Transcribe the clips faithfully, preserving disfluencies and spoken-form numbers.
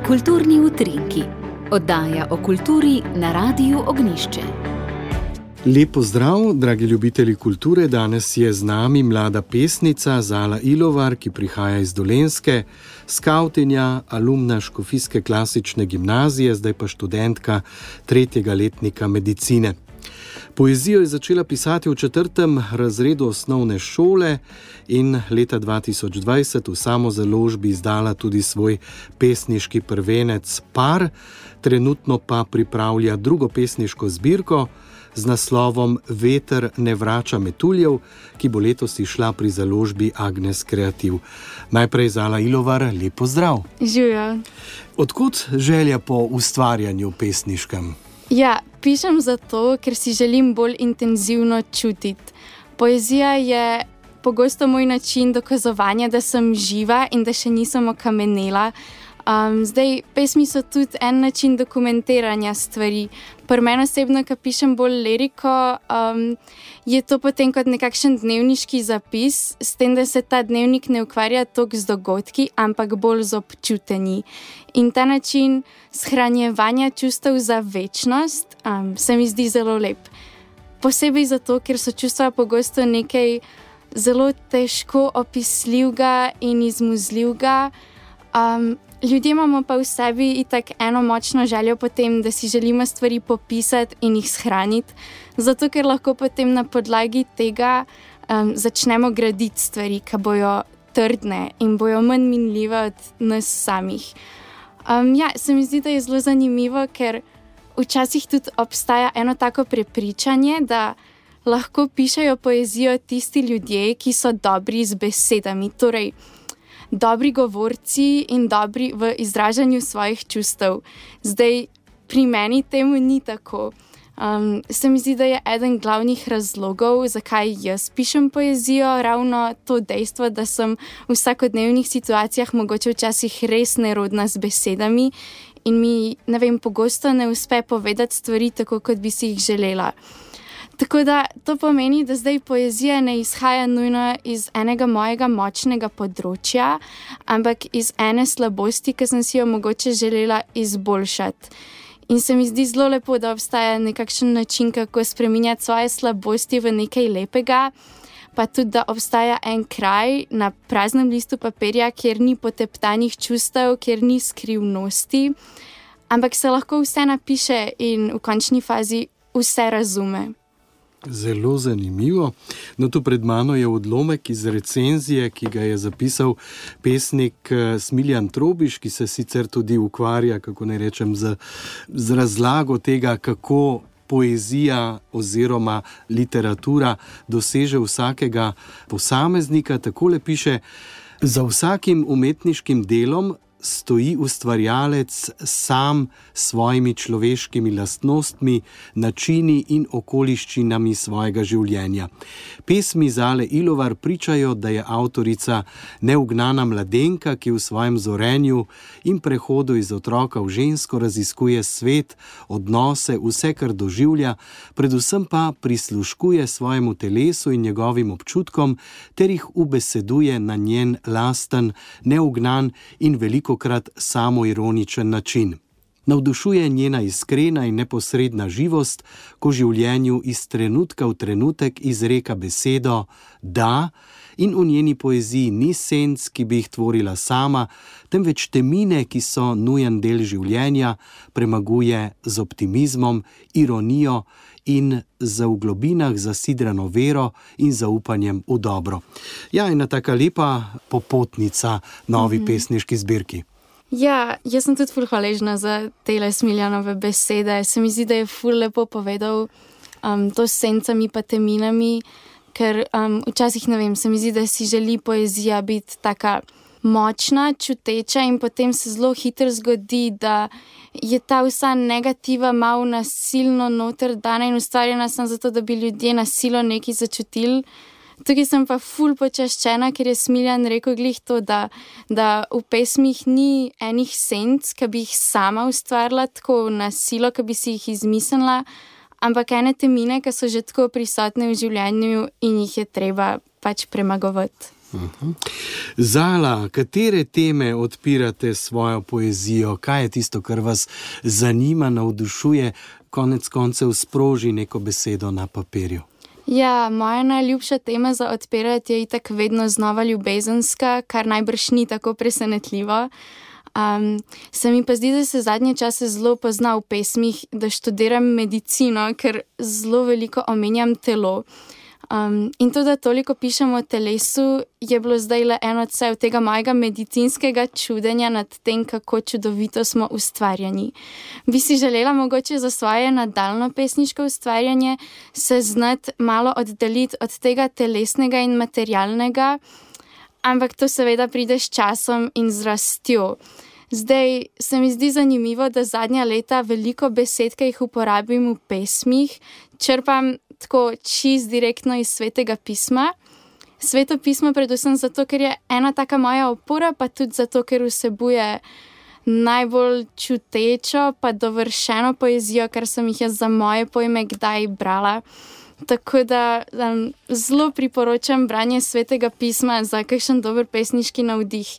Kulturni utrinki. Oddaja o kulturi na Radiu Ognjišče. Lep pozdrav, dragi ljubitelji kulture. Danes je z nami mlada pesnica Zala Ilovar, ki prihaja iz Dolenjske, skavtinja, alumna Škofijske klasične gimnazije, zdaj pa študentka tretjega letnika medicine. Poezijo je začela pisati v četrtem razredu osnovne šole in leta dva tisoč dvajset v samozaložbi izdala tudi svoj pesniški prvenec Par, trenutno pa pripravlja drugo pesniško zbirko z naslovom Veter ne vrača metuljev, ki bo letos izšla pri založbi Agnes Kreativ. Najprej Zala Ilovar, lep pozdrav. Živjo. Odkud želja po ustvarjanju pesniškem? Ja, pišem zato, ker si želim bolj intenzivno čutiti. Poezija je pogosto moj način dokazovanja, da sem živa in da še nisem okamenela. Um, zdaj, pesmi so tudi en način dokumentiranja stvari. Pri meni osebno, ko pišem bolj liriko, um, je to potem kot nekakšen dnevniški zapis, s tem, da se ta dnevnik ne ukvarja toliko z dogodki, ampak bolj z občutenji. In ta način shranjevanja čustev za večnost um, se mi zdi zelo lep. Posebej zato, ker so čustva pogosto nekaj zelo težko opisljivega in izmuzljivega. Um, Ljudje imamo pa v sebi itak eno močno željo potem, da si želimo stvari popisati in jih shraniti, zato ker lahko potem na podlagi tega um, začnemo graditi stvari, ki bojo trdne in bojo manj minljive od nas samih. Um, ja, se mi zdi, da je zelo zanimivo, ker včasih tudi obstaja eno tako prepričanje, da lahko pišejo poezijo tisti ljudje, ki so dobri z besedami, torej dobri govorci in dobri v izražanju svojih čustev. Zdaj, pri meni temu ni tako. Um, se mi zdi, da je eden glavnih razlogov, zakaj jaz pišem poezijo, ravno to dejstvo, da sem v vsakodnevnih situacijah mogoče včasih res nerodna z besedami in mi, ne vem, pogosto ne uspe povedati stvari tako, kot bi si jih želela. Tako da to pomeni, da zdaj poezija ne izhaja nujno iz enega mojega močnega področja, ampak iz ene slabosti, ki sem si jo mogoče želela izboljšati. In se mi zdi zelo lepo, da obstaja nekakšen način, kako spreminjati svoje slabosti v nekaj lepega, pa tudi, da obstaja en kraj na praznem listu papirja, kjer ni poteptanih čustev, kjer ni skrivnosti, ampak se lahko vse napiše in v končni fazi vse razume. Zelo zanimivo. No, tu pred mano je odlomek iz recenzije, ki ga je zapisal pesnik Smiljan Trobiš, ki se sicer tudi ukvarja, kako ne rečem, z, z razlago tega, kako poezija oziroma literatura doseže vsakega posameznika. Takole piše: za vsakim umetniškim delom stoji ustvarjalec sam s svojimi človeškimi lastnostmi, načini in okoliščinami svojega življenja. Pesmi Zale Ilovar pričajo, da je avtorica neugnana mladenka, ki v svojem zorenju in prehodu iz otroka v žensko raziskuje svet, odnose, vse, kar doživlja, predvsem pa prisluškuje svojemu telesu in njegovim občutkom ter jih ubeseduje na njen lasten, neugnan in veliko krat samoironičen način. Navdušuje njena iskrena in neposredna živost, ko življenju iz trenutka v trenutek izreka besedo da, in v njeni poeziji ni senc, ki bi jih tvorila sama, temveč temine, ki so nujen del življenja, premaguje z optimizmom, ironijo in za v globinah zasidrano vero in zaupanjem v dobro. Ja, ena taka lepa popotnica novi mm-hmm. pesniški zbirki. Ja, jaz sem tudi ful hvaležna za tele Smiljanove besede. Se mi zdi, da je ful lepo povedal um, to s sencami pa teminami, ker um, včasih, ne vem, se mi zdi, da si želi poezija biti taka močna, čuteča in potem se zelo hitro zgodi, da je ta vsa negativa malo nasilno noter dana in ustvarjena sem zato, da bi ljudje nasilo nekaj začutili. Tukaj sem pa ful počaščena, ker je Smiljan rekel glih to, da, da v pesmih ni enih senc, ki bi jih sama ustvarila tako na silo, ki bi si jih izmislila, ampak ene temine, ki so že tako prisotne v življenju in jih je treba pač premagovati. Uh-huh. Zala, katere teme odpirate s svojo poezijo? Kaj je tisto, kar vas zanima, navdušuje, konec koncev sproži neko besedo na papirju? Ja, moja najljubša tema za odpirati je itak vedno znova ljubezenska, kar najbrž ni tako presenetljivo. Um, se mi pa zdi, da se zadnje čase zelo pozna v pesmih, da študiram medicino, ker zelo veliko omenjam telo. Um, in to, da toliko pišem o telesu, je bilo zdaj le eno odsev tega mojega medicinskega čudenja nad tem, kako čudovito smo ustvarjeni. Bi si želela mogoče za svoje nadaljno pesniško ustvarjanje se znati malo oddaljiti od tega telesnega in materialnega, ampak to seveda pride s časom in z rastjo. Zdaj se mi zdi zanimivo, da zadnja leta veliko besed, ki jih uporabim v pesmih, črpam tako čist direktno iz Svetega pisma. Sveto pismo predvsem zato, ker je ena taka moja opora, pa tudi zato, ker vsebuje najbolj čutečo pa dovršeno poezijo, kar sem jih jaz za moje pojme kdaj brala. Tako da um, zelo priporočam branje Svetega pisma za kakšen dober pesniški navdih.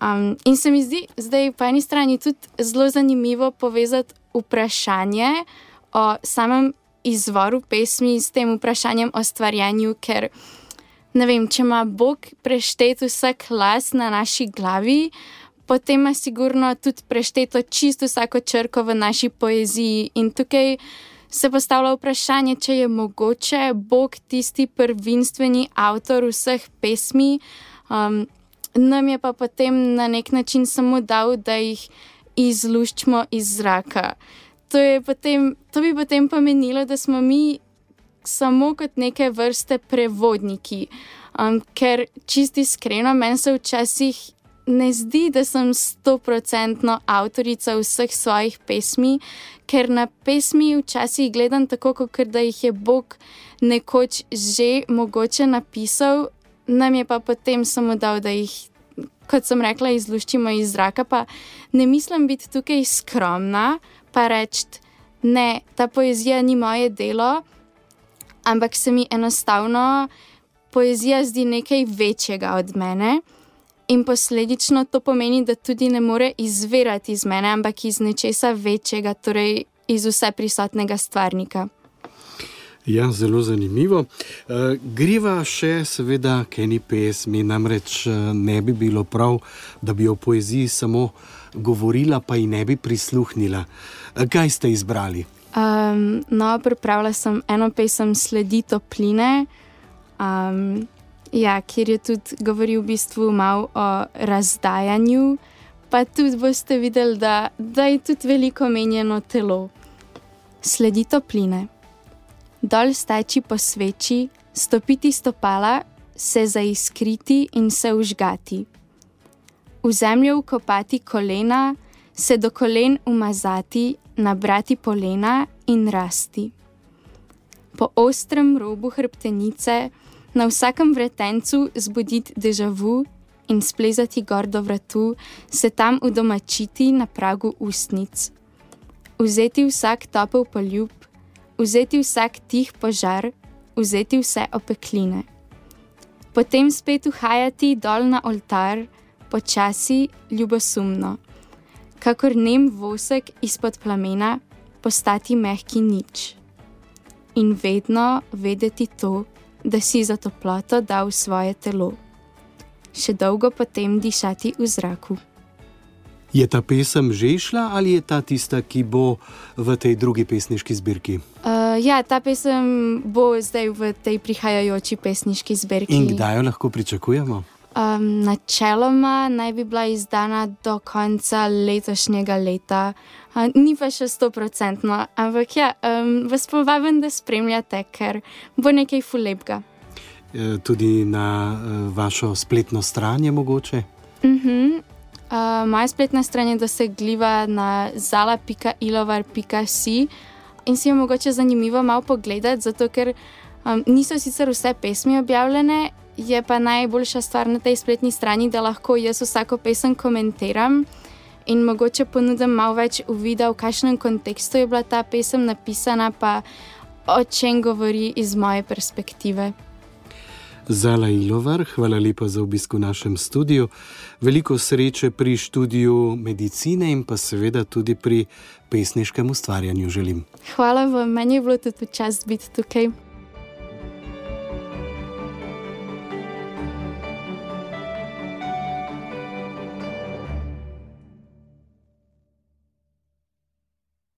Um, in se mi zdi zdaj po eni strani tudi zelo zanimivo povezati vprašanje o samem izvoru pesmi s tem vprašanjem o stvarjanju, ker ne vem, če ima Bog preštet vsak las na naši glavi, potem ima sigurno tudi prešteto čisto vsako črko v naši poeziji in tukaj se postavlja vprašanje, če je mogoče Bog tisti prvinstveni avtor vseh pesmi, um, nam je pa potem na nek način samo dal, da jih izluščimo iz zraka. To, je potem, to bi potem pomenilo, da smo mi samo kot neke vrste prevodniki, um, ker čisto iskreno meni se včasih ne zdi, da sem stoprocentno avtorica vseh svojih pesmi, ker na pesmi včasih gledam tako, kot da jih je Bog nekoč že mogoče napisal, nam je pa potem samo dal, da jih, kot sem rekla, izluščimo iz zraka, pa ne mislim biti tukaj skromna, pa reči, ne, ta poezija ni moje delo, ampak se mi enostavno poezija zdi nekaj večjega od mene in posledično to pomeni, da tudi ne more izvirati iz mene, ampak iz nečesa večjega, torej iz vseprisotnega stvarnika. Ja, zelo zanimivo. Uh, griva še seveda k eni pesmi, namreč ne bi bilo prav, da bi o poeziji samo govorila, pa ji ne bi prisluhnila. Uh, kaj ste izbrali? Um, no, pripravila sem eno pesem Sledi topline, um, ja, kjer je tudi govoril v bistvu malo o razdajanju, pa tudi boste videli, da, da je tudi veliko menjeno telo. Sledi topline. Dol steči po sveči, stopiti stopala, se zaiskriti in se užgati. V zemljo vkopati kolena, se do kolen umazati, nabrati polena in rasti. Po ostrem robu hrbtenice, na vsakem vretencu zbuditi déjà vu in splezati gor do vratu, se tam udomačiti na pragu ustnic. Vzeti vsak topel poljub, vzeti vsak tih požar, vzeti vse opekline. Potem spet uhajati dol na oltar, počasi, ljubosumno. Kakor nem vosek izpod plamena, postati mehki nič. In vedno vedeti to, da si za toploto dal svoje telo. Še dolgo potem dišati v zraku. Je ta pesem že išla ali je ta tista, ki bo v tej drugi pesniški zbirki? Uh, ja, ta pesem bo zdaj v tej prihajajoči pesniški zbirki. In kdaj jo lahko pričakujemo? Um, načeloma naj bi bila izdana do konca letošnjega leta. Uh, ni pa še stoprocentno, ampak ja, um, vas povabim, da spremljate, ker bo nekaj ful lepega. E, tudi na e, vašo spletno stran je mogoče? Mhm. Uh, moja spletna stran je dosegljiva na zala pika ilovar pika si in si jo mogoče zanimivo malo pogledati, zato ker um, niso sicer vse pesmi objavljene, je pa najboljša stvar na tej spletni strani, da lahko jaz vsako pesem komentiram in mogoče ponudim malo več uvida, v kakšnem kontekstu je bila ta pesem napisana, pa o čem govori iz moje perspektive. Zala Ilovar, hvala lepa za obisk v našem studiu. Veliko sreče pri študiju medicine in pa seveda tudi pri pesniškem ustvarjanju želim. Hvala vam, meni je bilo tudi čast biti tukaj.